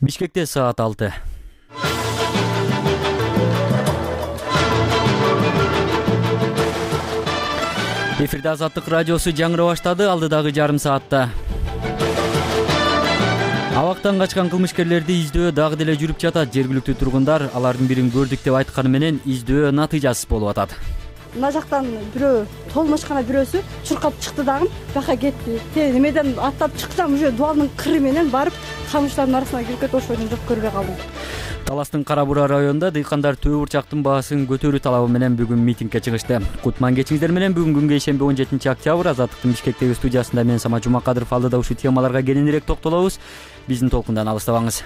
Бишкекте саат 6. Эфирде Азаттык радиосу жаңыра баштады. Алдыдагы жарым саатта абактан качкан кылмышкерлерди издөө дагы деле жүрүп жатат. Жергиликтүү тургундар алардын бирин көрдүк деп айтканы менен издөө натыйжасыз болуп атат. Мына жактан бирөө толмошкана бирөөсү чуркап чыкты дагы бияка кетти. Немеден аттап чыксам уже дубалдын кыры менен барып камыштардын арасына кирип кетип ошону жок көрбөй калдым. Таластын Кара Буура районунда дыйкандар төө бурчактын баасын көтөрүү талабы менен бүгүн митингге чыгышты. Кутман кечиңиздер менен бүгүн күнгө ишемби 17-октябрь Азаттыктын Бишкектеги студиясында мен Самат Жумакадыров алдыда ушул темаларга кененирээк токтолобуз. Биздин толкундан алыстабаңыз.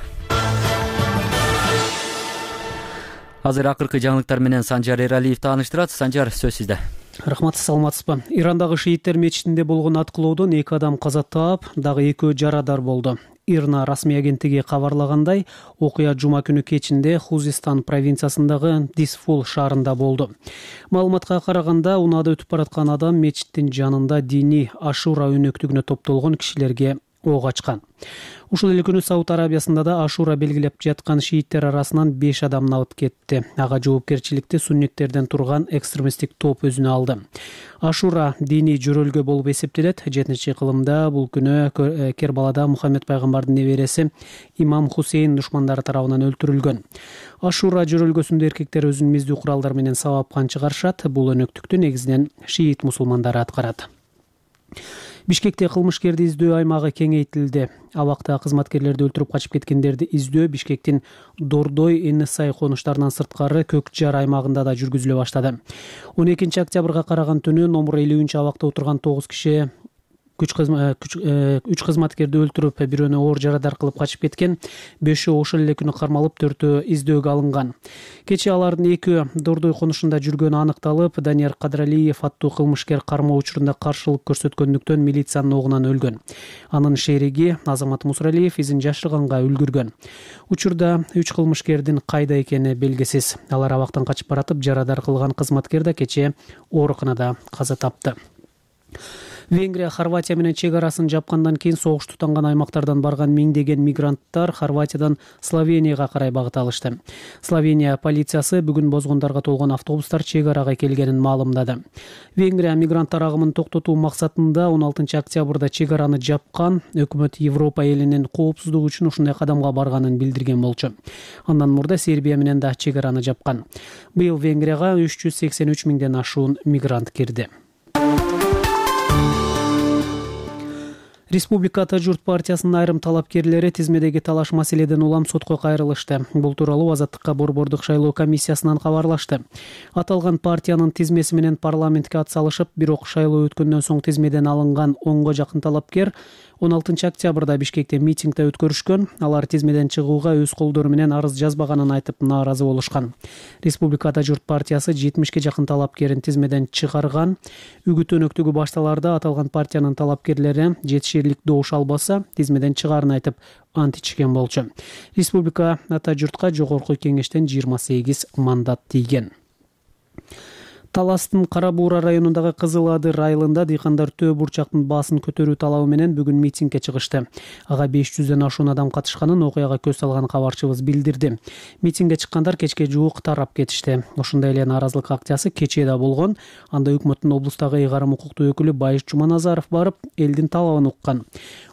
Азыр акыркы жаңылыктар менен Санжар Эралиев тааныштырат. Санжар, сөз сизде. Рахмат, саламатсызбы? Ирандагы шииттер мечитинде болгон аткылоодон 2 адам каза таап, дагы 2 жарадар болду. Ирна расмий агенттиги кабарлагандай, окуя жума күнү кечинде Хузистан провинциясындагы Дисфул шаарында болду. Маалыматка караганда, унаада өтүп бараткан адам мечиттин жанында диний Ашура өнөктүгүнө топтолгон кишилерге ок ачкан. Ушул эле күнү Сауд Арабиясында да Ашура белгилеп жаткан шииттер арасынан 5 адамды алып кетти. Ага жоопкерчиликти сунниттерден турган экстремисттик топ өзүнө алды. Ашура диний жөрөлгө болуп эсептелет. 7-кылымда бул күнү Кербалада Мухаммед пайгамбардын небереси Имам Хусейн душмандары тарабынан өлтүрүлгөн. Ашура жөрөлгөсүндө эркектер өзүнүн миздүү куралдар менен сабапкан чыгарышат. Бул өнөктүктү негизинен шиит мусулмандары аткарат. Бишкекте кылмышкерди издөө аймагы кеңейтилди. Абакта кызматкерлерди өлтүрүп качып кеткендерди издөө Бишкектин Дордой, Эннесай конуштарынан сырткары Көк Жар аймагында да жүргүзүлө баштады. 12-октябрга караган түнү номер 50 абакта отурган 9 киши 3 кызматкерди өлтүрүп, бирөөнү оор жарадар кылып качып кеткен. 5-өө ошол эле күнү кармалып, 4-өө издөөгө алынган. Кечээ алардын 2-өө Дордой конушунда жүргөнү аныкталып, Данияр Кадралиев аттуу кылмышкер кармоо учурунда каршылык көрсөткөндүктөн милициянын огунан өлгөн. Анын шериги Азамат Мусралиев изин жашырганга үлгүргөн. Учурда 3 кылмышкердин кайда экени белгисиз. Алар абактан качып баратып, жарадар кылган кызматкер да кечээ ооруканада каза тапты. Венгрия Хорватия менен чек арасын жапкандан кийин согуш тутанган аймактардан барган миңдеген мигранттар Хорватиядан Словенияга карай багыт алышты. Словения полициясы бүгүн бозгондарга толгон автобустар чек арага келгенин маалымдады. Венгрия мигранттар агымын токтотуу максатында 16-октябрда чек араны жапкан. Өкмөт Европа элинин коопсуздугу үчүн ушундай кадамга барганын билдирген болчу. Андан мурда Сербия менен да чек араны жапкан. Быйыл Венгрияга 383 миңден ашуун мигрант кирди. Республика Ата журт партиясынын айрым талапкерлери тизмедеги талаш маселеден улам сотко кайрылышты. Бул тууралуу Азаттыкка борбордук шайлоо комиссиясынан кабарлашты. Аталган партиянын тизмеси менен парламентке ат салышып, бирок шайлоо өткөндөн соң тизмеден алынган 10го жакын талапкер 16-октябрда Бишкекте митингде өткөрүшкөн. Алар тизмеден чыгууга өз колдору менен арыз жазбаганын айтып нааразы болушкан. Республика Ата журт партиясы 70ке жакын талапкерин тизмеден чыгарган. Үгүт өнөктүгү башталарда аталган партиянын талапкерлери жетиширлик добуш албаса, тизмеден чыгаарын айтып ант ичкен болчу. Республика Ата журтка жогорку кеңештен 28 мандат тийген. Таластын Кара Буура районундагы Кызыл Адыр айылында дыйкандар төө бурчактын баасын көтөрүү талабы менен бүгүн митингге чыгышты. Ага 500ден ашуун адам катышканын окуяга көз салган кабарчыбыз билдирди. Митингге чыккандар кечке жуук тарап кетишти. Ошондой эле нааразылык акциясы кечээ да болгон. Анда өкмөттүн облустагы ыйгарым укуктуу өкүлү Байыш Жуманазаров барып, элдин талабын уккан.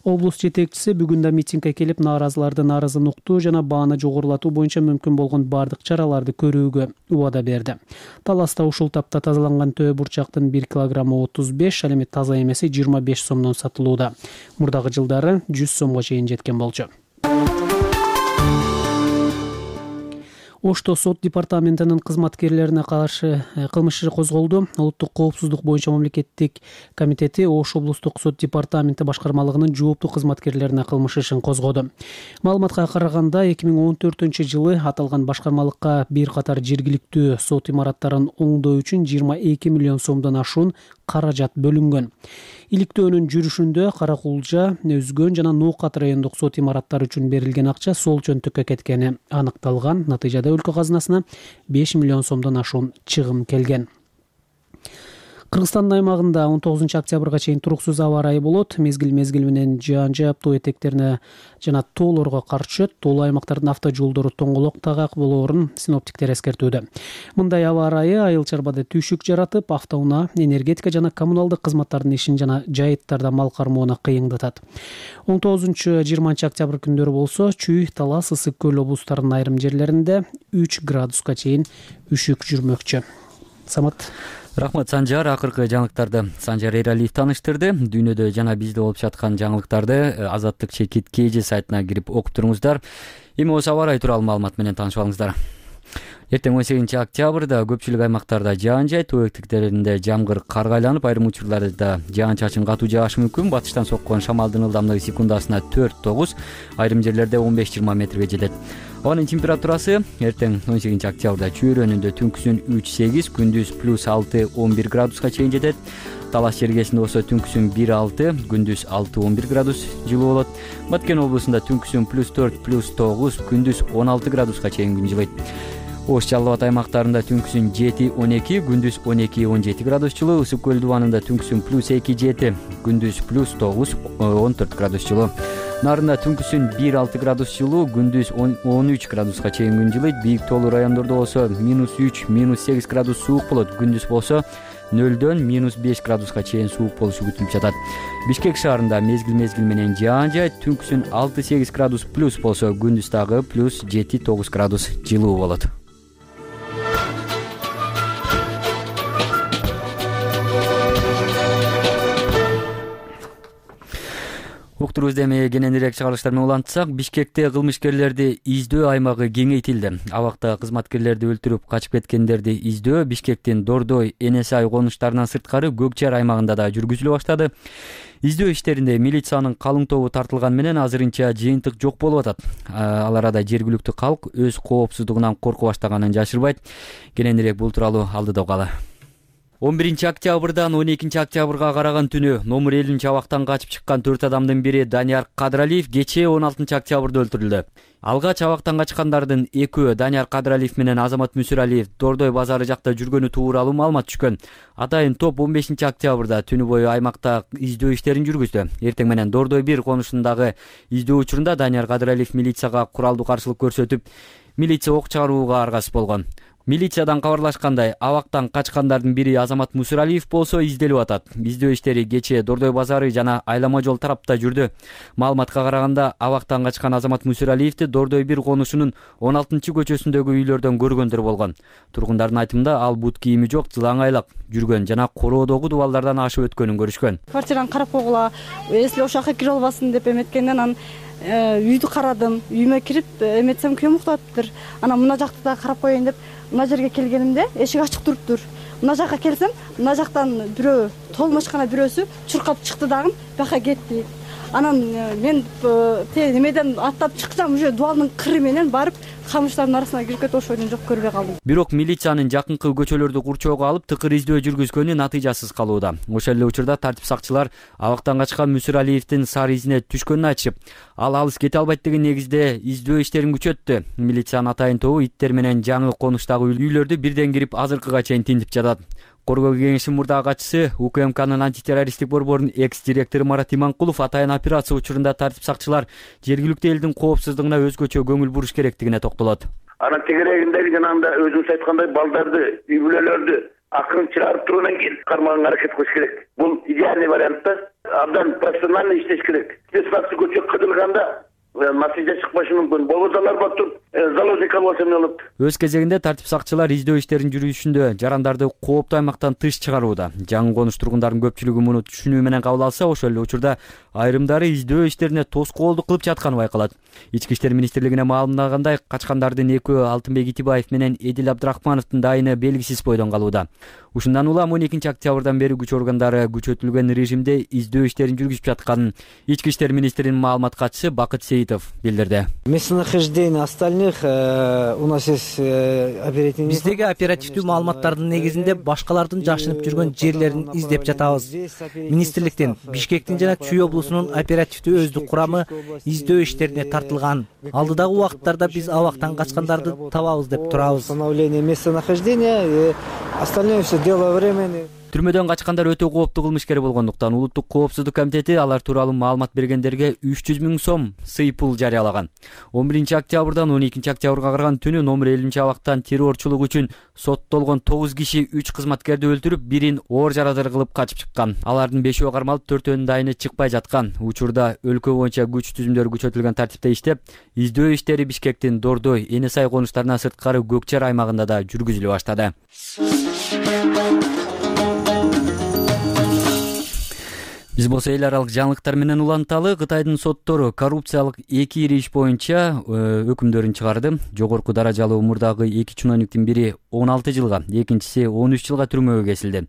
Облус жетекчиси бүгүн да митингге келип, нааразылардын арызын уктуу жана бааны жогорулатуу боюнча мүмкүн болгон бардык чараларды көрүүгө убада берди. Таласта ушул тапта тазаланган төө бурчактын 1 килограммы 35, ал эми таза эмеси 25 сомдон сатылууда. Мурдагы жылдары 100 сомго чейин жеткен болчу. Ошто сот департаментинин кызматкерлерине каршы кылмыш иши козголду. Улуттук коопсуздук боюнча мамлекеттик комитети Ош облустук сот департаменти башкармалыгынын жооптуу кызматкерлерине кылмыш ишин козгоду. Маалыматка караганда 2014-жылы аталган башкармалыкка бир катар жергиликтүү сот имараттарын оңдоо үчүн 22 миллион сомдон ашуун каражат бөлүнгөн. Иликтөөнүн жүрүшүндө Каракулжа, Өзгөн жана Ноокат райондук сот имараттары үчүн берилген акча сол чөнтөккө кеткени аныкталган. Натыйжада өлкө казынасына 5 миллион сомдон ашуун чыгым келген. Кыргызстандын аймагында 19 октябрга чейин туруксуз аба ырайы болот. Мезгил менен жаан жаап, тоо этектерине жана тоолорго кар түшөт. Тоолуу аймактардын автожолдору тоңголок тагак болоорун синоптиктер эскертүүдө. Мындай аба ырайы айыл чарбада түйшүк жаратып, автоунаа, энергетика жана коммуналдык кызматтардын ишин жана жайыттарда мал кармоону кыйындатат. 19-20 октябрь күндөрү болсо, Чүй, Талас, Ысык көл облустарынын айрым жерлеринде 3 градуска чейин үшүк жүрмөкчү. Самат. Рахмат Санжар. Акыркы жаңылыктарды Санжар Эралиев таныштырды. Дүйнөдө жана бизде болуп жаткан жаңылыктарды Азаттык чекит KG сайтына кирип окуп туруңуздар. Эми осы аба ырайы тууралуу маалымат менен таанышып алыңыздар. Эртең 18 октябрда көпчүлүк аймактарда жаан жай, тоо этектеринде жамгыр карга айланып, айрым учурларда жаан чачын катуу жаашы мүмкүн. Батыштан соккон шамалдын ылдамдыгы секундасына 4-9, айрым жерлерде 15-20 метрге жетет. Анын температурасы эртең 18 октябрда Чүй районунда түнкүсүн 3-8, күндүз +6-11 градуска чейин жетет. Талас жергесинде болсо түнкүсүн 1-6, күндүз 6-11 градус жылуу болот. Баткен облусунда түнкүсүн +4-9, күндүз 16 градуска чейин күн жылыйт. Ош Жалал Абад аймактарында түнкүсүн 7-12, күндүз 12-17 градус жылуу. Ысык көл дубанында түнкүсүн +2-7, күндүз +9-14 градус жылуу. Нарында түнкүсүн 1-6 градус жылуу, күндүз 13 градуска чейин күн жылыйт. Бийик тоолуу райондордо болсо -3, -8 градус суук болот. Күндүз болсо 0-дөн -5 градуска чейин суук болушу күтүлүп жатат. Бишкек шаарында мезгил менен жаан жай, түнкүсүн 6-8 градус плюс болсо, күндүз дагы +7-9 градус жылуу болот. Уктурубузда эми кененирээк чыгарылыштар менен улантсак, Бишкекте кылмышкерлерди издөө аймагы кеңейтилди. Абакта кызматкерлерди өлтүрүп качып кеткендерди издөө Бишкектин Дордой, Энесай конуштарынан сырткары Көк Жар аймагында да жүргүзүлө баштады. Издөө иштеринде милициянын калың тобу тартылган менен азырынча жыйынтык жок болуп атат. Ал арада жергиликтүү калк өз коопсуздугунан коркуп баштаганын жашырбайт. Кененирээк бул тууралуу алдыда угалы. 11 октябрдан 12 октябрга караган түнү номер 50 абактан качып чыккан 4 адамдын бири Данияр Кадыралиев кечээ 16 октябрда өлтүрүлдү. Алгач абактан качкандардын экөө Данияр Кадыралиев менен Азамат Мүсүралиев Дордой базары жакта жүргөнү тууралуу маалымат түшкөн. Атайын топ 15 октябрда түнү бою аймакта издөө иштерин жүргүздү. Эртең менен Дордой 1 конушундагы издөө учурунда Данияр Кадыралиев милицияга куралдуу каршылык көрсөтүп, милиция ок чыгарууга аргасыз болгон. Милициядан кабарлашкандай, абактан качкандардын бири Азамат Мүсүралиев болсо изделип атат. Издөө иштери кечээ Дордой базары жана Айлама жол тарапта жүрдү. Маалыматка караганда, абактан качкан Азамат Мүсүралиевди Дордой 1 конушунун 16-көчөсүндөгү үйлөрдөн көргөндөр болгон. Тургундардын айтымында, ал бут кийими жок, жылаңайлак жүргөн жана короодогу дубалдардан ашып өткөнүн көрүшкөн. Квартираны карап койгула, если ошол жака кире албасын деп эметкенден анан үйдү карадым. Үйүмө кирип эметсем күйөөм уктаптыр. Анан мына жакты да карап коеюн деп мына жерге келгенимде эшик ачык туруптур. Мына жакка келсем, мына жактан бирөө толмошкана бирөөсү чуркап чыкты дагы бияка кетти. Анан мен немеден аттап чыксам, уже дубалдын кыры менен барып камыштардын арасына кирип кетип ошондон жок көрбөй калдым. Бирок милициянын жакынкы көчөлөрдү курчоого алып тыкыр издөө жүргүзгөнү натыйжасыз калууда. Ошол эле учурда тартип сакчылар абактан качкан Мүсүралиевдин сары изине түшкөнүн айтышып, ал алыс кете албайт деген негизде издөө иштерин күчөттү. Милициянын атайын тобу иттер менен жаңы конуштагы үйлөрдү бирден кирип азыркыга чейин тинтип жатат. Коргоо кеңешинин мурдагы катчысы УКМКнын антитеррористтик борборунун экс-директору Марат Иманкулов атайын операция учурунда тартип сакчылар жергиликтүү элдин коопсуздугуна өзгөчө көңүл буруш керектигине токтолот. Анан тегерегиндеги жанагындай өзүңүз айткандай балдарды, үй бүлөлөрдү акырын чыгарып тургандан кийин кармаганга аракет кылыш керек. Бул идеальный вариант да. Абдан профессионально иштеш керек. Спецназды көчөп кыдырганда натыйжа чыкпашы мүмкүн. Болбосо алар батып заложник алып эмне болот. Өз кезегинде тартип сакчылар издөө иштерин жүргүзүшүндө жарандарды кооптуу аймактан тыш чыгарууда. Жаңы конуш тургундардын көпчүлүгү муну түшүнүү менен кабыл алса, ошол эле учурда айрымдары издөө иштерине тоскоолдук кылып жатканы байкалат. Ички иштер министрлигине маалымдагандай, качкандардын экөө Алтынбек Итибаев менен Эдил Абдрахмановдун дайыны белгисиз бойдон калууда. Ушундан улам 12 октябрдан бери күч органдары күчөтүлгөн режимде издөө иштерин жүргүзүп жатканын Ички иштер министринин маалымат катчысы Бакыт Сейитов билдирди. Местонахождение остальных у нас есть оперативный. Биздеги оперативдүү маалыматтардын негизинде башкалардын жашынып жүргөн жерлерин издеп жатабыз. Министрликтен Бишкектин жана Чүй облусунун оперативдүү өздүк курамы издөө иштерине тартылган. Алдыдагы убакыттарда биз абактан качкандарды табабыз деп турабыз. Установление местонахождения и остальное все дело времени. Түрмөдөн качкандар өтө кооптуу кылмышкер болгондуктан Улуттук коопсуздук комитети алар тууралуу маалымат бергендерге 300 000 сом сый пул жарыялаган. 11 октябрдан 12 октябрга караган түнү номер 50 абактан террорчулук үчүн соттолгон 9 киши 3 кызматкерди өлтүрүп, бирин оор жарадар кылып качып чыккан. Алардын 5-өө кармалып, 4-өнүн дайыны чыкпай жаткан. Учурда өлкө боюнча күч түзүмдөрү күчөтүлгөн тартипте иштеп, издөө иштери Бишкектин Дордой, Эне Сай конуштарынан сырткары Көкчар аймагында да жүргүзүлө баштады. Биз болсо эл аралык жаңылыктар менен уланталы. Кытайдын соттору коррупциялык 2 ири иш боюнча өкүмдөрүн чыгарды. Жогорку даражалуу мурдагы 2 чиновниктин бири 16 жылга, экинчиси 13 жылга түрмөгө кесилди.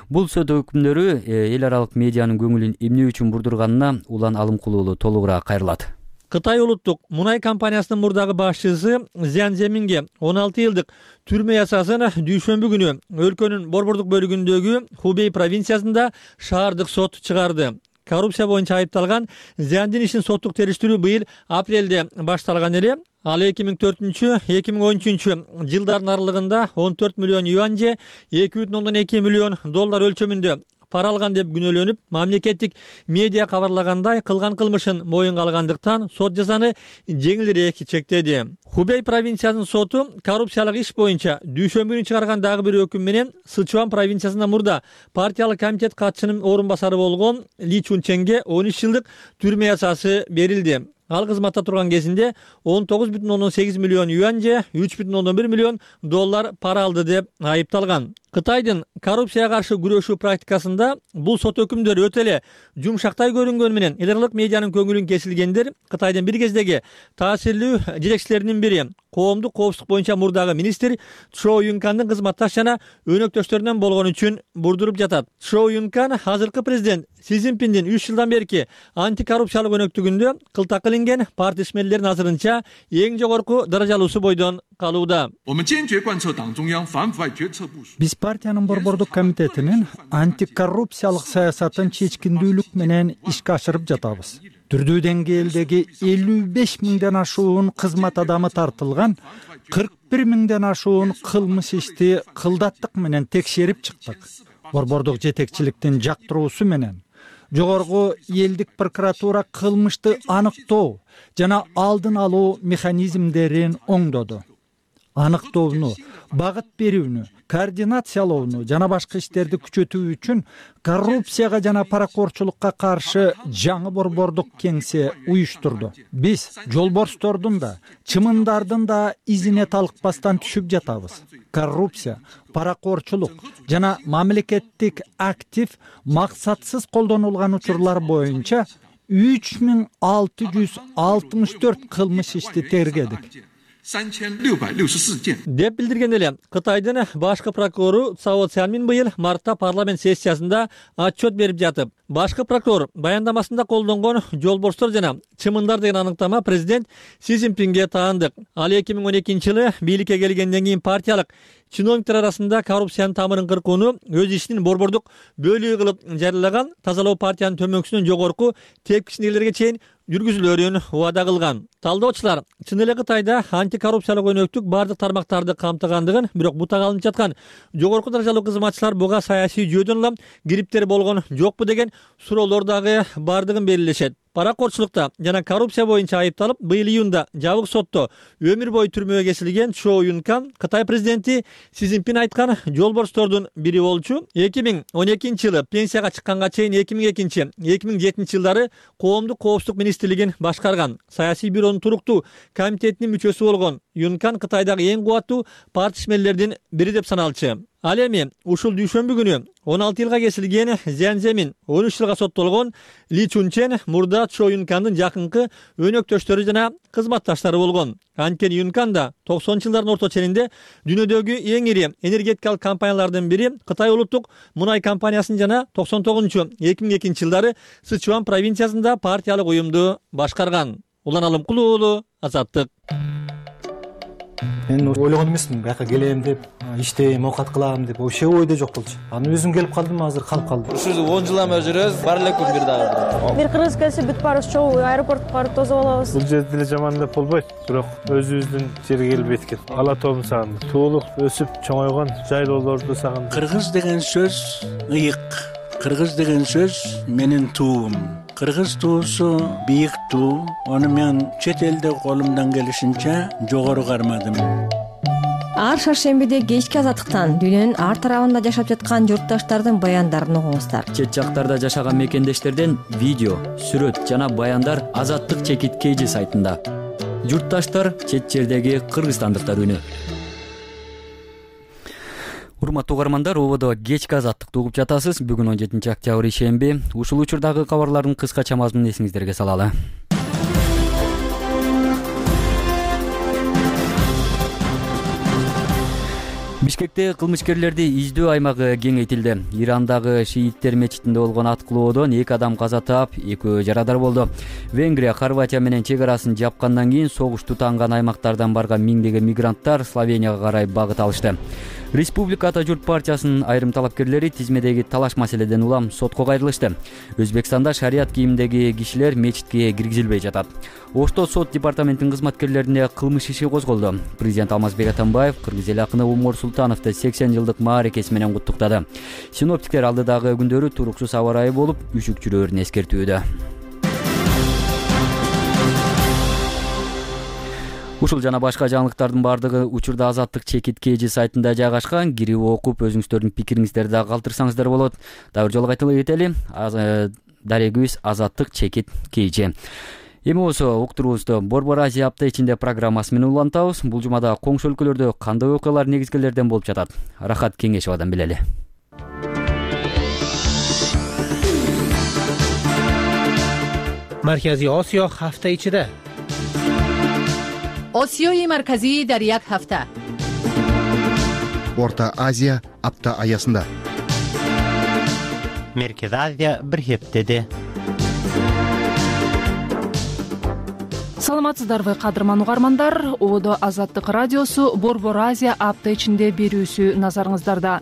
Бул сот өкүмдөрү эл аралык медианын көңүлүн эмне үчүн бурдурганына Улан Алымкулуулу толугураак кайрылат. Кытай улуттук мунай компаниясынын мурдагы башчысы Зян Земинге 16 жылдык түрмө язасын дүйшөмбү күнү өлкөнүн борбордук бөлүгүндөгү Хубей провинциясында шаардык сот чыгарды. Коррупция боюнча айыпталган Зяндин ишин соттук териштирүү быйыл апрелде башталган эле. Ал 2004-2013 жылдардын аралыгында 14 миллион юань же 2,2 миллион доллар өлчөмүндө пара алган деп күнөөлөнүп, мамлекеттик медиа кабарлагандай кылган кылмышын моюнга алгандыктан сот жазаны жеңилирээк чектеди. Хубей провинциясынын соту коррупциялык иш боюнча дүйшөмбү күнү чыгарган дагы бир өкүм менен Сычуан провинциясында мурда партиялык комитет катчысынын орун басары болгон Ли Чунченге 13 жылдык түрмө язасы берилди. Ал кызматта турган кезинде 19,8 миллион юань же 3,1 миллион доллар пара алды деп айыпталган. Кытайдын коррупцияга каршы күрөшүү практикасында бул сот өкүмдөрү өтө эле жумшактай көрүнгөнү менен эл аралык медианын көңүлүн кесилгендер Кытайдын бир кездеги таасирлүү жетекчилеринин бири, коомдук коопсуздук боюнча мурдагы министр Чжоу Юнкандын кызматташ жана өнөктөштөрүнөн болгон үчүн бурдуруп жатат. Чжоу Юнкан азыркы президент Си Цзиньпиндин 3 жылдан берки антикоррупциялык өнөктүгүндө кылтакка илинген партия ишмерлеринин азырынча эң жогорку даражалуусу бойдон калууда. Биз партиянын борбордук комитетинин антикоррупциялык саясатын чечкиндүүлүк менен ишке ашырып жатабыз. Түрдүү деңгээлдеги 55 миңден ашуун кызмат адамы тартылган, 41 миңден ашуун кылмыш ишти кылдаттык менен текшерип чыктык. Борбордук жетекчиликтин жактыруусу менен жогорку элдик прокуратура кылмышты аныктоо жана алдын алуу механизмдерин оңдоду. Аныктоону, багыт берүүнү, координациялоону жана башка иштерди күчөтүү үчүн коррупцияга жана паракорчулукка каршы жаңы борбордук кеңсе уюштурду. Биз жолборстордун да, чымындардын да изине талыкпастан түшүп жатабыз. Коррупция, паракорчулук жана мамлекеттик актив максатсыз колдонулган учурлар боюнча 3664 кылмыш ишти тергедик. Деп билдирген эле Кытайдын башкы прокурору Цао Цянмин быйыл мартта парламент сессиясында отчет берип жатып, башкы прокурор баяндамасында колдонгон жолборстор жана чымындар деген аныктама президент Си Цзиньпинге таандык. Ал 2012 жылы бийликке келгенден кийин партиялык чиновниктер арасында коррупциянын тамырын кыркууну өз ишинин борбордук бөлүгү кылып жарыялаган, тазалоо партиянын төмөнкүсүнөн жогорку тепкичтегилерге чейин жүргүзүлөрүн убада кылган. Талдоочулар чын эле Кытайда антикоррупциялык өнөктүк бардык тармактарды камтыгандыгын, бирок бутак алынып жаткан жогорку даражалуу кызматчылар буга саясий жүйөдөн улам кириптери болгон жокпу деген суроолор дагы бардыгын белгилешет. Паракорчулукта жана коррупция боюнча айыпталып, быйыл июнда жабык сотто өмүр бою түрмөгө кесилген Чжоу Юнкан Кытай президенти Си Цзиньпин айткан жолборстордун бири болчу. 2012 жылы пенсияга чыкканга чейин 2002-2007 жылдары коомдук коопсуздук министрлигин башкарган. Саясий бюронун туруктуу комитетинин мүчөсү болгон Юнкан Кытайдагы эң кубаттуу партия ишмерлердин бири деп саналчу. Ал эми ушул дүйшөмбү күнү 16 жылга кесилген Зян Земин 13 жылга соттолгон Ли Чунчен мурда Чжоу Юнкандын жакынкы өнөктөштөрү жана кызматташтары болгон. Анткени Юнкан да 90 жылдардын орто ченинде дүйнөдөгү эң ири энергетикалык компаниялардын бири Кытай улуттук мунай компаниясын жана 99-2002 жылдары Сычуан провинциясында партиялык уюмду башкарган. Улан Алымкулуулу, Азаттык. Мен ойлогон эмесмин бияка келем деп, иштейм, оокат кылам деп, вообще ойдо жок болчу. Аны өзүм келип калдым, азыр калып калдым. Ушул 10 жылдан бери жүрөбүз, бар эле күн бир дагы. Бир кыргыз келсе бүт баарыбыз чогуу аэропортко барып тосуп алабыз. Бул жерде деле жаман деп болбойт, бирок өзүбүздүн жерге келбейт экен. Ала тоом сагындым. Туулуп, өсүп, чоңойгон жайлоолорду сагындым. Кыргыз деген сөз ыйык. Кыргыз деген сөз менин туум. Кыргыз туусу бийик туу. Аны мен чет элде колумдан келишинче жогору кармадым. Ар шаршембиде кечки азаттыктан дүйнөнүн ар тарабында жашап жаткан журтташтардын баяндарын угуңуздар. Чет жактарда жашаган мекендештерден видео, сүрөт жана баяндар Азаттык чекит KG сайтында. Журтташтар чет жердеги кыргызстандыктар үнү. Урматтуу угармандар, ободо кечки азаттыкты угуп жатасыз. Бүгүн 17 октябрь ишемби. Ушул учурдагы кабарлардын кыскача мазмунун эсиңиздерге салалы. Бишкекте кылмышкерлерди издөө аймагы кеңейтилди. Ирандагы шииттер мечитинде болгон аткылоодон 2 адам каза таап, 2 жарадар болду. Венгрия Хорватия менен чек арасын жапкандан кийин согуш тутанган аймактардан барган миңдеген мигранттар Словенияга карай багыт алышты. Республика Ата журт партиясынын айрым талапкерлери тизмедеги талаш маселеден улам сотко кайрылышты. Өзбекстанда шарият кийимдеги кишилер мечитке киргизилбей жатат. Ошто сот департаментинин кызматкерлерине кылмыш иши козголду. Президент Алмазбек Атамбаев кыргыз эл акыны Умар Султановду 80 жылдык мааракеси менен куттуктады. Синоптиктер алдыдагы күндөрү туруксуз аба ырайы болуп, үшүк жүрөөрүн эскертүүдө. Ушул жана башка жаңылыктардын бардыгы учурда Азаттык чекит KG сайтында жайгашкан. Кирип окуп, өзүңүздөрдүн пикириңиздерди да калтырсаңыздар болот. Дагы бир жолу кайталап кетели. Дарегүбүз Азаттык чекит KG. Эми болсо уктуруубузду Борбор Азия апта ичинде программасы менен улантабыз. Бул жумада коңшу өлкөлөрдө кандай окуялар негизгилерден болуп жатат? Рахат Кеңешовадан билели. Марказий Осиё ҳафта ичида. Осиёи марказӣ дар як ҳафта. Орта Азия апта аясында. Меркез Азия бир хептеде. Саламатсыздарбы, кадырман угармандар? Ободо Азаттык радиосу Борбор Азия апта ичинде берүүсү назарыңыздарда.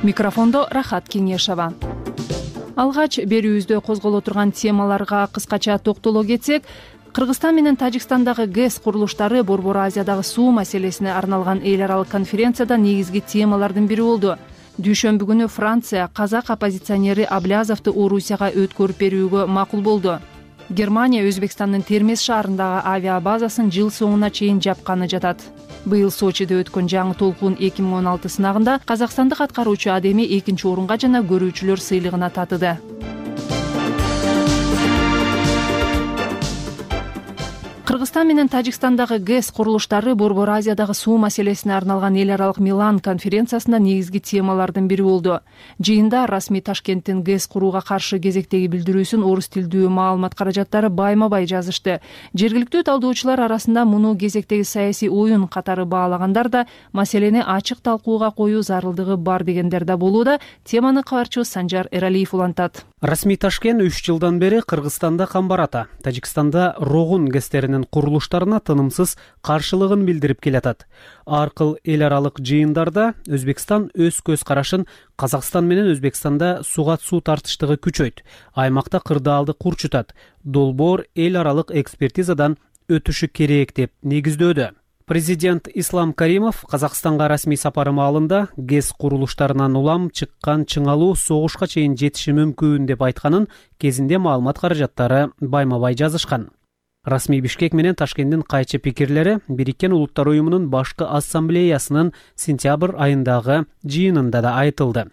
Микрофондо Рахат Кеңешова. Алгач берүүбүздө козголо турган темаларга кыскача токтоло кетсек, Кыргызстан менен Тажикстандагы ГЭС курулуштары Борбор Азиядагы суу маселесине арналган эл аралык конференцияда негизги темалардын бири болду. Дүйшөмбү күнү Франция казак оппозиционери Аблязовду Орусияга өткөрүп берүүгө макул болду. Германия Өзбекстандын Термез шаарындагы авиабазасын жыл соңуна чейин жапканы жатат. Быйыл Сочиде өткөн жаңы толкун 2016 сынагында казакстандык аткаруучу адеми 2-чи орунга жана көрүүчүлөр сыйлыгына татыды. Кыргызстан менен Тажикстандагы ГЭС курулуштары Борбор Азиядагы суу маселесине арналган эл аралык Милан конференциясында негизги темалардын бири болду. Жыйында расмий Ташкенттин ГЭС курууга каршы кезектеги билдирүүсүн орус тилдүү маалымат каражаттары байма-бай жазышты. Жергиликтүү талдоочулар арасында муну кезектеги саясий оюн катары баалагандар да, маселени ачык талкууга коюу зарылдыгы бар дегендер да болууда. Теманы кабарчыбыз Санжар Эралиев улантат. Расмий Ташкент 3 жылдан бери Кыргызстанда Камбарата, Тажикстанда Рогун ГЭСтеринин курулуштарына тынымсыз каршылыгын билдирип келатат. Ар кыл эл аралык жыйындарда Өзбекстан өз көз карашын Казакстан менен Өзбекстанда суга суу тартыштыгы күчөйт, аймакта кырдаалды курчутат, долбоор эл аралык экспертизадан өтүшү керек деп негиздөөдө. Президент Ислам Каримов Казакстанга расмий сапары маалында ГЭС курулуштарынан улам чыккан чыңалуу согушка чейин жетиши мүмкүн деп айтканын кезинде маалымат каражаттары байма-бай жазышкан. Расмий Бишкек менен Ташкенттин кайчы пикирлери Бириккен Улуттар уюмунун башкы ассамблеясынын сентябрь айындагы жыйынында да айтылды.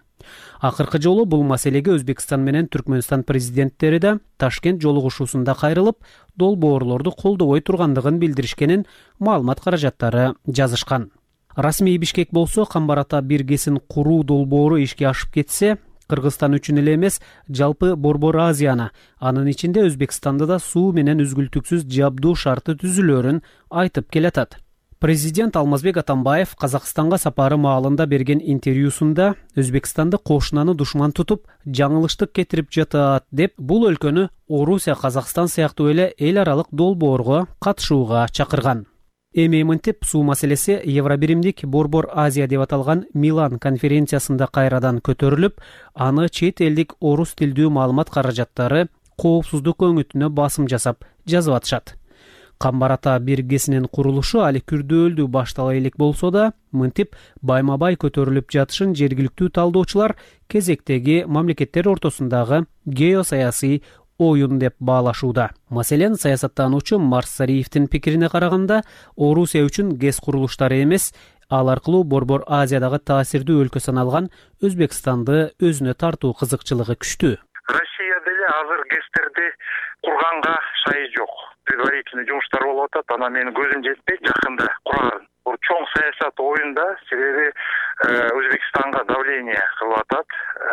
Акыркы жолу бул маселеге Өзбекстан менен Түркмөнстан президенттери да Ташкент жолугушуусунда кайрылып, долбоорлорду колдобой тургандыгын билдиришкенин маалымат каражаттары жазышкан. Расмий Бишкек болсо Камбарата бир ГЭСин куруу долбоору ишке ашып кетсе, Кыргызстан үчүн эле эмес, жалпы Борбор Азияны, анын ичинде Өзбекстанды да суу менен үзгүлтүксүз жабдуу шарты түзүлөөрүн айтып келатат. Президент Алмазбек Атамбаев Казакстанга сапары маалында берген интервьюсунда Өзбекстанды кошунаны душман тутуп, жаңылыштык кетирип жатат деп, бул өлкөнү Орусия, Казакстан сыяктуу эле эл аралык долбоорго катышууга чакырган. Эми мынтип суу маселеси Евробиримдик Борбор Азия деп аталган Милан конференциясында кайрадан көтөрүлүп, аны чет элдик орус тилдүү маалымат каражаттары коопсуздук өңүтүнө басым жасап жазып атышат. Камбар ата биргесинин курулушу али күрдөөлдүү баштала элек болсо да, мынтип байма-бай көтөрүлүп жатышын жергиликтүү талдоочулар кезектеги мамлекеттер ортосундагы геосаясий оюн деп баалашууда. Маселен, саясаттануучу Марс Сариевдин пикирине караганда, Орусия үчүн ГЭС курулуштары эмес, ал аркылуу Борбор Азиядагы таасирдүү өлкө саналган Өзбекстанды өзүнө тартуу кызыкчылыгы күчтүү. Россия деле азыр ГЭСтерди курганга шайы жок. Предварительный жумуштар болуп атат, анан менин көзүм жетпейт жакында курарын. Бул чоң саясат оюнда, себеби Өзбекстанга давление кылып атат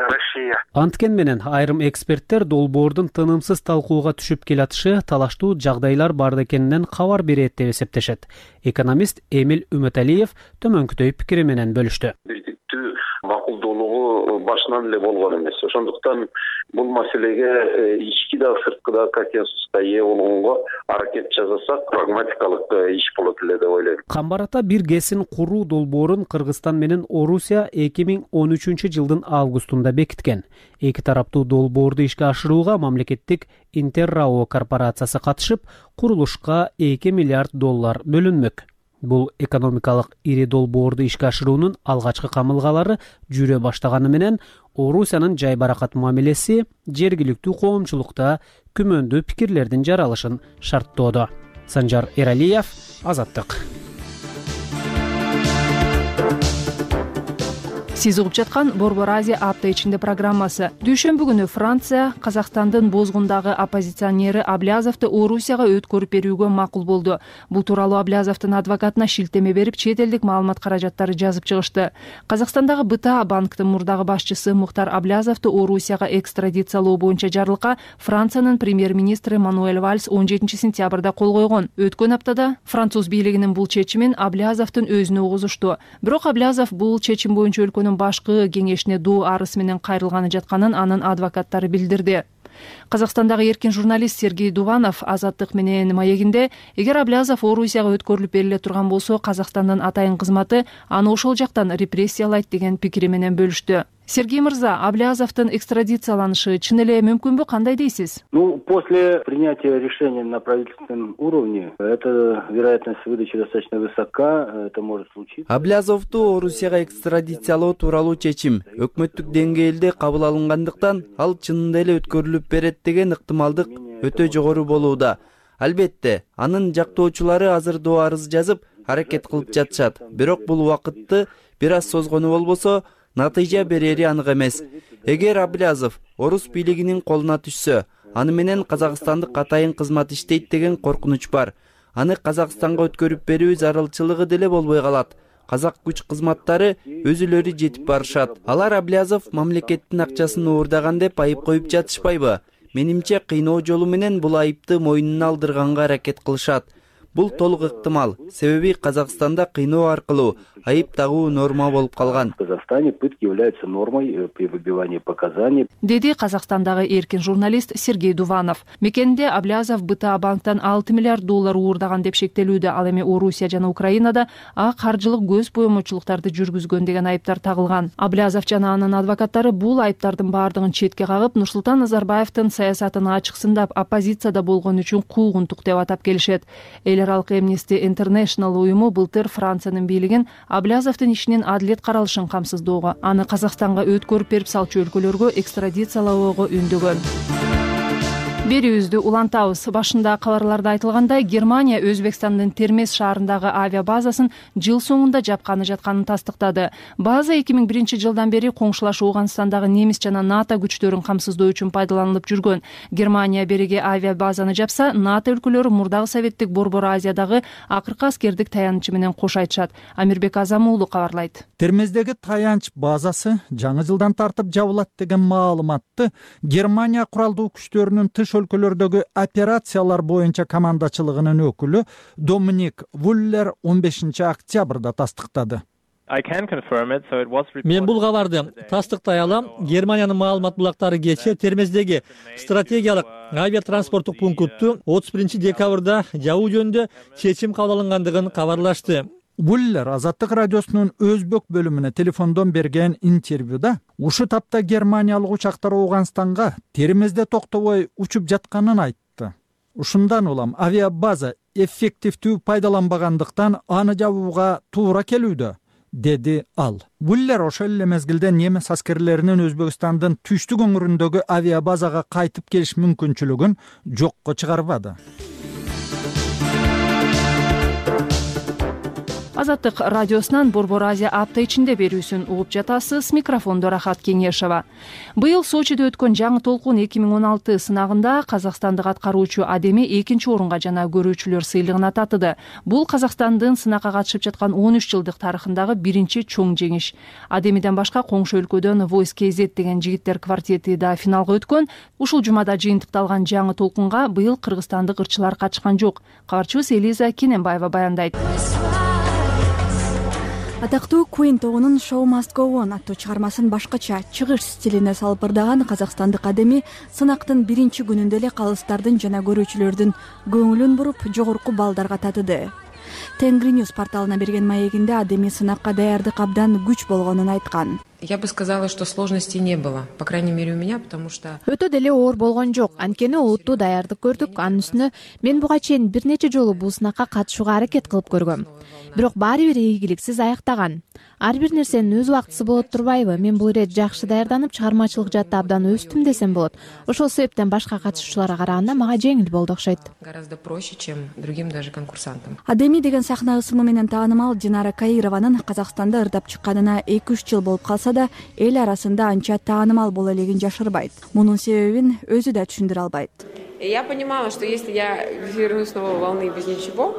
Россия. Анткен менен айрым эксперттер долбоордун тынымсыз талкууга түшүп келатышы талаштуу жагдайлар бар экенинен кабар берет деп эсептешет. Экономист Эмил Үмөталиев төмөнкүдөй пикири менен бөлүштү. Макулдуулугу башынан эле болгон эмес. Ошондуктан бул маселеге ички да сырткы да консенсуска ээ болгонго аракет жасасак, прагматикалык иш болот эле деп ойлойм. Камбар ата бир ГЭСин куруу долбоорун Кыргызстан менен Орусия 2013-жылдын августунда бекиткен. Эки тараптуу долбоорду ишке ашырууга мамлекеттик Интеррао корпорациясы катышып, курулушка $2 миллиард бөлүнмөк. Бул экономикалык ири долбоорду ишке ашыруунун алгачкы камылгалары жүрө баштаганы менен Орусиянын жай баракат мамилеси жергиликтүү коомчулукта күмөндүү пикирлердин жаралышын шарттоодо. Санжар Эралиев, Азаттык. Сиз угуп жаткан Борбор Азия апта ичинде программасы. Дүйшөмбү күнү Франция Казакстандын Бозгундагы оппозиционери Аблязовду Орусияга өткөрүп берүүгө макул болду. Бул тууралуу Аблязовдун адвокатына шилтеме берип, чет элдик маалымат каражаттары жазып чыгышты. Казакстандагы БТА банктын мурдагы башчысы Мухтар Аблязовду Орусияга экстрадициялоо боюнча жарлыкка Франциянын премьер-министри Мануэль Вальс 17 сентябрда кол койгон. Өткөн аптада француз бийлигинин бул чечимин Аблязовдун өзүнө угузушту. Бирок Аблязов бул чечим боюнча өлкөнүн башкы кеңешине доо арыз менен кайрылганы жатканын анын адвокаттары билдирди. Казакстандагы эркин журналист Сергей Дуванов Азаттык менен маегинде, эгер Аблязов Орусияга өткөрүлүп бериле турган болсо, Казакстандын атайын кызматы аны ошол жактан репрессиялайт деген пикири менен бөлүштү. Сергей мырза, Аблязовдун экстрадицияланышы чын эле мүмкүнбү, кандай дейсиз? После принятия решения на правительственном уровне, эта вероятность выдачи достаточно высока, это может случиться. Аблязовду Орусияга экстрадициялоо тууралуу чечим өкмөттүк деңгээлде кабыл алынгандыктан, ал чынында эле өткөрүлүп берет деген ыктымалдык өтө жогору болууда. Албетте, анын жактоочулары азыр доо арыз жазып, аракет кылып жатышат. Бирок бул убакытты бир аз созгону болбосо, натыйжа берери анык эмес. Эгер Аблязов орус бийлигинин колуна түшсө, аны менен Казакстандык атайын кызмат иштейт деген коркунуч бар. Аны Казакстанга өткөрүп берүү зарылчылыгы деле болбой калат. Казак күч кызматтары өзүлөрү жетип барышат. Алар Аблязов мамлекеттин акчасын уурдаган деп айып коюп жатышпайбы? Менимче кыйноо жолу менен бул айыпты мойнуна алдырганга аракет кылышат. Бул толук ыктымал. Себеби Казакстанда кыйноо аркылуу айып тагуу норма болуп калган. В Казахстане пытки являются нормой при выбивании показаний. Деди Казакстандагы эркин журналист Сергей Дуванов. Мекенде Аблязов БТА банктан $6 миллиард уурдаган деп шектелүүдө. Ал эми Орусия жана Украинада каржылык көз боемочулуктарды жүргүзгөн деген айыптар тагылган. Аблязов жана анын адвокаттары бул айыптардын баардыгын четке кагып, Нурсултан Назарбаевдин саясатын ачыксындап, оппозицияда болгон үчүн куугунтук деп атап келишет. Эл аралык Amnesty International уюму былтыр Франциянын бийлигин Аблязовдун ишинин адилет каралышын камсыздоого, аны Казакстанга өткөрүп берип салчу өлкөлөргө экстрадициялоого үндөгөн. Берүүбүздү улантабыз. Башында кабарларда айтылгандай, Германия Өзбекстандын Термез шаарындагы авиабазасын жыл соңунда жапканы жатканын тастыктады. База 2001 жылдан бери коңшулаш Ооганстандагы немис жана НАТО күчтөрүн камсыздоо үчүн пайдаланылып жүргөн. Германия бериги авиабазаны жапса, НАТО өлкөлөрү мурдагы советтик Борбор Азиядагы акыркы аскердик таянычы менен кош айтышат. Амирбек Азам уулу кабарлайт. Термездеги таянч базасы жаңы жылдан тартып жабылат деген маалыматты Германия куралдуу күчтөрүнүн тыш өлкөлөрдөгү операциялар боюнча командачылыгынын өкүлү Доминик Вуллер 15 октябрда тастыктады. Мен бул кабарды тастыктай алам. Германиянын маалымат булактары кечээ Термездеги стратегиялык авиатранспорттук пунктту 31 декабрда жабуу жөнүндө чечим кабыл алынгандыгын кабарлашты. Буллер Азаттык радиосунун өзбек бөлүмүнө телефондон берген интервьюда ушу тапта германиялык учактар Ооганстанга Термезде токтобой учуп жатканын айтты. Ушундан улам авиабаза эффективдүү пайдаланбагандыктан аны жабууга туура келүүдө, деди ал. Буллер ошол эле мезгилде немис аскерлеринин Өзбекстандын түштүк өңүрүндөгү авиабазага кайтып келиш мүмкүнчүлүгүн жокко чыгарбады. Азаттык радиосунан Борбор Азия апта ичинде берүүсүн угуп жатасыз. Микрофондо Рахат Кеңешова. Быйыл Сочиде өткөн жаңы толкун 2016 сынагында казакстандык аткаруучу Адеми 2-орунга жана көрүүчүлөр сыйлыгына татыды. Бул Казакстандын сынакка катышып жаткан 13 жылдык тарыхындагы биринчи чоң жеңиш. Адемиден башка коңшу өлкөдөн Voice KZ деген жигиттер квартети да финалга өткөн. Ушул жумада жыйынтыкталган жаңы толкунга быйыл кыргызстандык ырчылар катышкан жок. Кабарчыбыз Элиза Кененбаева баяндайт. Атактуу Queen тобунун Show Must Go On аттуу чыгармасын башкача чыгыш стилине салып ырдаган казакстандык Адеми сынактын биринчи күнүндө эле калыстардын жана көрүүчүлөрдүн көңүлүн буруп жогорку баллдарга татыды. Тенгри News порталына берген маегинде Адеми сынакка даярдык абдан күч болгонун айткан. Я бы сказала, что сложностей не было, по крайней мере у меня, потому что өтө деле оор болгон жок. Анткени олуттуу даярдык көрдүк. Анын үстүнө мен буга чейин бир нече жолу бул сынакка катышууга аракет кылып көргөм. Бирок баары бир ийгиликсиз аяктаган. Ар бир нерсенин өз убактысы болот турбайбы? Мен бул ирет жакшы даярданып, чыгармачылык жаатта абдан өстүм десем болот. Ошол себептен башка катышуучуларга караганда мага жеңил болду окшойт. Гораздо проще, чем другим даже конкурсантам. Адеми деген сахна ысымы менен таанымал Динара Каированын Казакстанда ырдап чыкканына 2-3 жыл болуп калса да, эл арасында анча таанымал боло элегин жашырбайт. Мунун себебин өзү да түшүндүрө албайт. Я понимала, что если я вернусь с новой волны без ничего,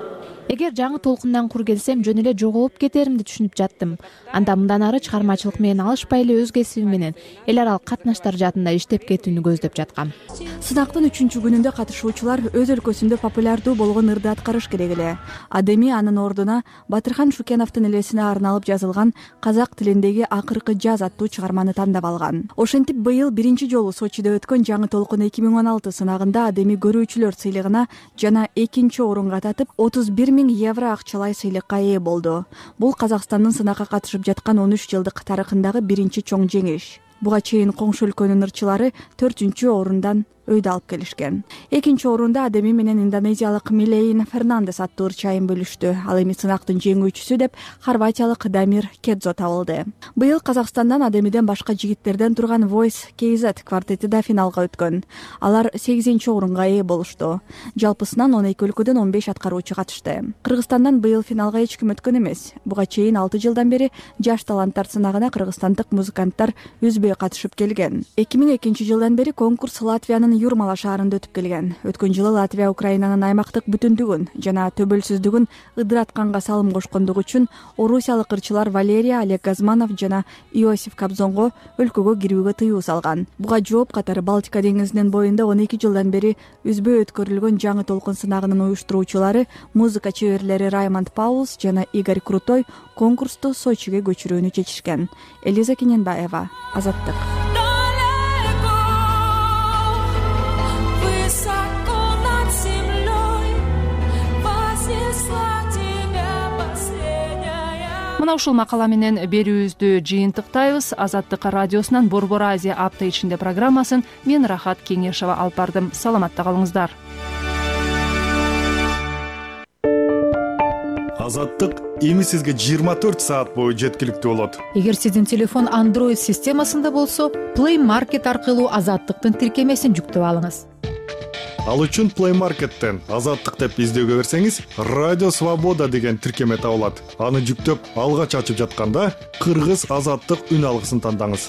эгер жаңы толкундан кур келсем жөн эле жоголуп кетеримди түшүнүп жаттым. Анда мындан ары чыгармачылык менен алышпай эле өз кесибим менен эл аралык катнаштар жаатында иштеп кетүүнү көздөп жаткам. Сынактын 3-чү күнүндө катышуучулар өз өлкөсүндө популярдуу болгон ырды аткарыш керек эле. Адеми анын ордуна Батырхан Шукеновдун элесине арналып жазылган казак тилиндеги акыркы жаз аттуу чыгарманы тандап алган. Ошентип быйыл биринчи жолу Сочиде өткөн жаңы толкун 2016 сынагында Адеми көрүүчүлөр сыйлыгына жана 2-орунга татып 31 000 евро акчалай сыйлыкка ээ болду. Бул Казакстандын сынакка катышып жаткан 13 жылдык тарыхындагы биринчи чоң жеңиш. Буга чейин коңшу өлкөнүн ырчылары 4-орундан өйдө алып келишкен. 2-орунда Адеми менен индонезиялык Милейн Фернандес аттуу ырчайын бөлүштү. Ал эми сынактын жеңүүчүсү деп хорватиялык Дамир Кедзо табылды. Быйыл Казакстандан Адемиден башка жигиттерден турган Voice KZ квартети да финалга өткөн. Алар 8-орунга ээ болушту. Жалпысынан 12 өлкөдөн 15 аткаруучу катышты. Кыргызстандан быйыл финалга эч ким өткөн эмес. Буга чейин 6 жылдан бери жаш таланттар сынагына кыргызстандык музыканттар үзбөй катышып келген. 2002 жылдан бери конкурс Латвиянын Юрмала шаарында өтүп келген. Өткөн жылы Латвия Украинанын аймактык бүтүндүгүн жана төбөлсүздүгүн ыдыратканга салым кошкондугу үчүн орусиялык ырчылар Валерия Олег Газманов жана Иосиф Кобзонго өлкөгө кирүүгө тыюу салган. Буга жооп катары Балтика деңизинин боюнда 12 жылдан бери үзбөй өткөрүлгөн жаңы толкун сынагынын уюштуруучулары музыка чеберлери Раймонд Паулс жана Игорь Крутой конкурсту Сочиге көчүрүүнү чечишкен. Элиза Кененбаева, Азаттык. Мына ушул макала менен берүүбүздү жыйынтыктайбыз. Азаттык радиосунан Борбор Азия апта ичинде программасын мен Рахат Кеңешова алып бардым. Саламатта калыңыздар. Азаттык эми сизге 24 саат бою жеткиликтүү болот. Эгер сиздин телефон Android системасында болсо, Play Market аркылуу Азаттыктын тиркемесин жүктөп алыңыз. Ал үчүн Play Market'тен Азаттык деп издөөгө берсеңиз, Радио Свобода деген тиркеме табылат. Аны жүктөп, алгач ачып жатканда Кыргыз Азаттык үн алгысын тандаңыз.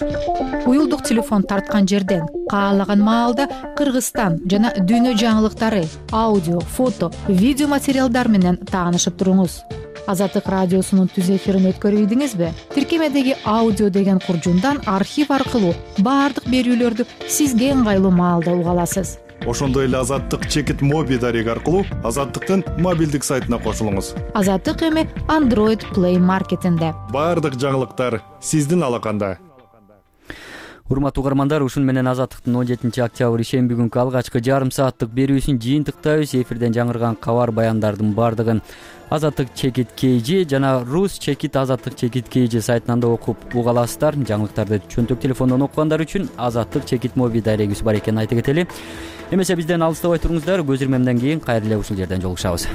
Уюлдук телефон тарткан жерден каалаган маалда Кыргызстан жана дүйнө жаңылыктары, аудио, фото, видео материалдар менен таанышып туруңуз. Азаттык радиосунун түз эфирин өткөрүп ийдиңизби? Тиркемедеги аудио деген куржундан архив аркылуу баардык берүүлөрдү сизге ыңгайлуу маалда уга аласыз. ошондой эле Азаттык чекит моби дареги аркылуу Азаттыктын мобилдик сайтына кошулуңуз. Азаттык эми Android Play Marketинде. Баардык жаңылыктар сиздин алаканда. Урматтуу угармандар, ушун менен Азаттыктын 17 октябрь ишемби күнкү алгачкы жарым сааттык берүүсүн жыйынтыктайбыз. Эфирден жаңырган кабар баяндардын баардыгын Азаттык чекит KG жана Rus чекит Азаттык чекит KG сайтынан да окуп уга аласыздар. Жаңылыктарды чөнтөк телефондон окугандар үчүн Азаттык чекит моби дарегибиз бар экенин айта кетели. Эмесе бизден алыстабай туруңуздар. Көз ирмемден кийин кайра эле ушул жерден жолугушабыз.